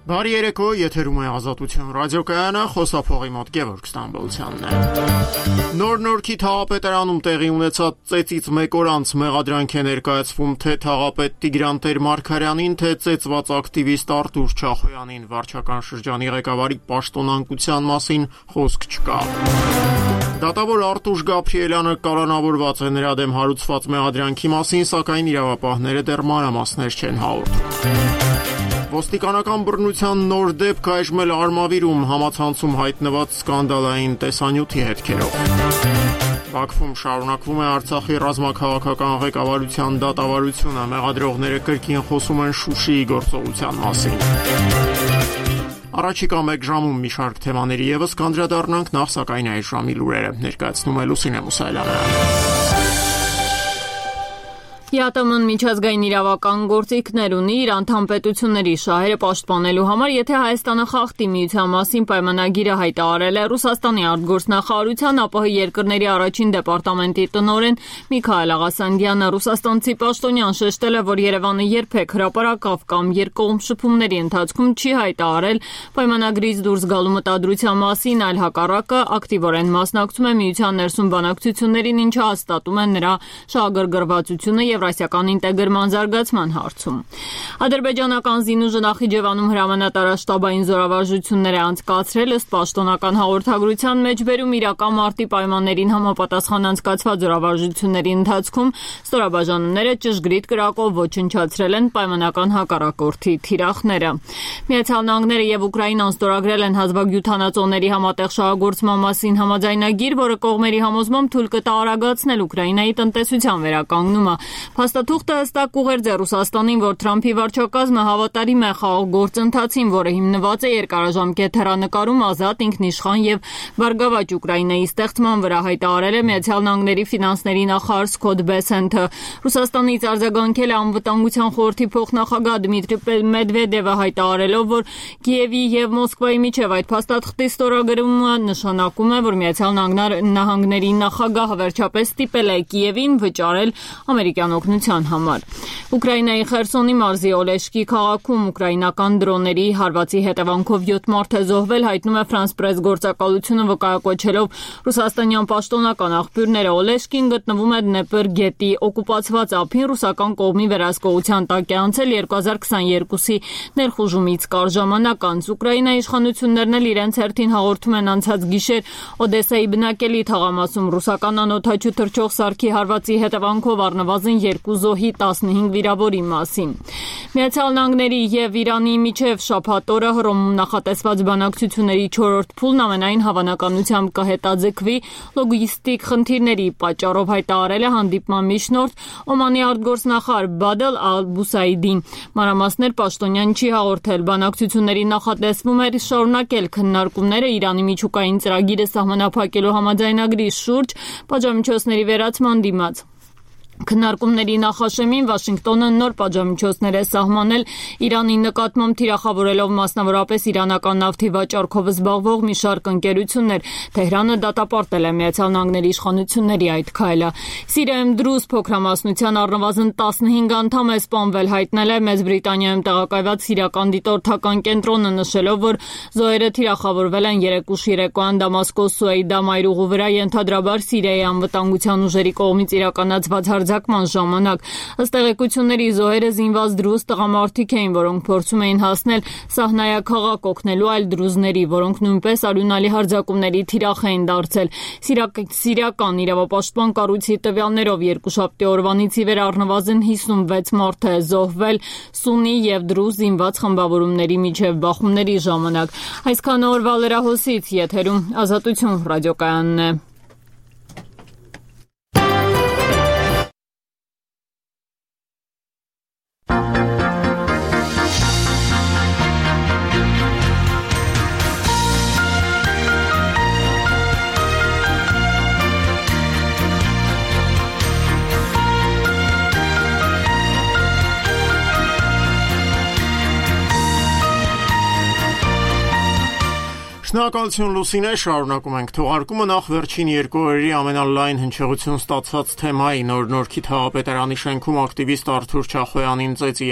Բարի երեկո, եթերում է Ազատություն ռադիոկայանը, խոսափողի մոտ Գևորգ Ստամբոլցյանն է։ Նոր-Նորքի թաղապետարանում տեղի ունեցած ծեծից մեկ օր անց մեղադրանք է ներկայացվում թե թաղապետ Տիգրան Տեր-Մարգարյանին, թե ծեծված ակտիվիստ Արտուր Չախոյանին, վարչական շրջանի ղեկավարի պաշտոնանկության մասին խոսք չկա։ Դատավոր Արտուշ Գաբրիելյանը կալանավորված է նրա դեմ հարուցված մեղադրանքի մասին, սակայն իրավապահները դեռ մանրամասներ չեն հաղորդում։ Ոստիկանական բռնության նոր դեպք այժմ էլ Արմավիրում համացանցում հայտնված սկանդալային տեսանյութի հետքերով։ Բաքվում շարունակվում է Արցախի ռազմաքաղաքական ղեկավարության դատավարությունը, մեղադրողները կրկին խոսում են Շուշիի գործողության մասին։ Առաջիկա մեկ ժամում մի շարք թեմաների եւս կանդրադառնանք, նախ սակայն այս ժամի լուրերը ներկայացնում է Լուսինե Մուսայելյանը։ ԵԱՏՄ-ն միջազգային իրավական գործիքներ ունի իր անդամ պետությունների շահերը պաշտպանելու համար, եթե Հայաստանը խախտի միության մասին պայմանագիրը հայտարարել է Ռուսաստանի արտգործնախարարության ԱՊՀ երկրների առաջին դեպարտամենտի տնօրեն Միքայել Աղասանդյանը։ Ռուսաստանցի պաշտոնյան շեշտել է, որ Երևանը երբեք հրապարակավ կամ երկկողմ շփումների ընթացքում չի հայտարարել պայմանագրից դուրս գալու մտադրության մասին, այլ հակառակը ակտիվորեն մասնակցում է միության ներսում բանակցություններին, ինչը հաստատում է նրա շահագրգռվածությունը Եվրասիական ինտեգրման զարգացման հարցում։ Ադրբեջանական զինուժը Նախիջևանում հրամանատարաշտաբային զորավարժություններ է անցկացրել, ըստ պաշտոնական հաղորդագրության մեջ բերում իրական մարտի պայմաններին համապատասխան անցկացված զորավարժությունների ընթացքում ստորաբաժանումները ճշգրիտ կրակով ոչնչացրել են պայմանական հակառակորդի թիրախները։ Միացյալ Նահանգները եւ Ուկրաինան ստորագրել են հազվագյուտանածոների համատեղ շահագործման մասին համաձայնագիր, որը կողմերի համոզմամբ թույլ կտա արագացնել Ուկրաինայի տնտեսության վերականգնումը։ Փաստաթուղթը հստակ ուղերձ է Ռուսաստանին, որ Թրամփի վարչակազմը հավատարիմ է խաղաղ գործընթացին, որը հիմնված է երկարաժամկետ հեռանկարում ազատ, ինքնիշխան եւ բարգավաճ Ուկրաինայի ստեղծման վրա, հայտարարել է Միացյալ Նահանգների ֆինանսների նախարար Սքոթ Բեսենթը։ Ռուսաստանից արձագանքել է Անվտանգության խորհրդի փոխնախագահ Դմիտրի Մեդվեդևը, հայտարարելով, որ Կիևի եւ Մոսկվայի միջև այդ փաստաթղթի ստորագրումը նշանակում է, որ Միացյալ Նահանգների նախագահը վերջապես ստիպել է Կիևին վճարել ամերիկյան օգնության համար։ Ուկրաինայի Խերսոնի մարզի Օլեշկի քաղաքում ուկրաինական դրոնների հարվածի հետևանքով 7 մարդ է զոհվել, հայտնում է France Press գործակալությունը, վկայակոչելով ռուսաստանյան պաշտոնական աղբյուրները։ Օլեշկին գտնվում է Դնեպր գետի օկուպացված ափին, ռուսական կողմի վերահսկողության տակ է անցել 2022-ի ներխուժումից կարճ ժամանակ անց։ Ուկրաինայի իշխանություններն էլ իրենց հերթին հաղորդում են անցած գիշեր Օդեսայի բնակելի թաղամասում ռուսական անօդաչու թռչող սարքի հարվածի հետևանքով առնվազն 2 զոհի 15 վիրավորի մասին։ Միացյալ Նահանգների եւ Իրանի միջև շաբաթ օրը Հռոմում նախատեսված բանակցությունների 4-րդ փուլն ամենայն հավանականությամբ կհետաձգվի լոգիստիկ խնդիրների պատճառով, հայտարարել է հանդիպման միջնորդ Օմանի արտգործնախարար Բադել Ալ-Բուսայդին։ Մանրամասներ պաշտոնյան չի հաղորդել։ Բանակցությունների նախատեսվում էր շարունակել քննարկումները Իրանի միջուկային ծրագիրը սահմանափակելու համաձայնագրի շուրջ պատժամիջոցների վերացման դիմաց։ Քննարկումների նախաշեմին Վաշինգտոնը նոր պատժամիջոցներ է սահմանել Իրանի նկատմամբ, թիրախավորելով մասնավորապես իրանական նավթի վաճառքով զբաղվող մի շարք ընկերություններ։ Թեհրանը դատապարտել է Միացյալ Նահանգների իշխանությունների այդ քայլը։ Սիրիայում դրուզ փոքրամասնության առնվազն 15 անդամ է սպանվել, հայտնել է Մեծ Բրիտանիայում տեղակայված սիրիական դիտորդական կենտրոնը, նշելով, որ զոհերը թիրախավորվել են 3 ուշ երեկոյան Դամասկոս Սուեյդա մայրուղու վրա, ենթադրաբար Սիրիայի անվտանգության ուժերի կողմից իրականացված հարձակման ժամանակ։ Ըստ տեղեկությունների զոհերը զինված դրուզ տղամարդիկ էին, որոնք փորձում էին հասնել սահնայաքաղաք օգնելու այլ դրուզների, որոնք նույնպես արյունալի հարձակումների թիրախ էին դարձել։ Սիրիական իրավապաշտպան կառույցի տվյալներով երկուշաբթի օրվանից ի վեր առնվազն 56 մարդ է զոհվել սուննի եւ դրուզ զինված խմբավորումների միջև բախումների ժամանակ։ Այսքան օրվա լրահոսից եթերում Ազատություն ռադիոկայանն է։ Շնորհակալություն Լուսինե, շարունակում ենք թողարկումը նախ վերջին 2 օրերի ամենալայն հնչեղություն ստացած թեմայի նոր-Նորքի թաղապետարանի շենքում ակտիվիստ Արտուր Չախոյանին ծեծի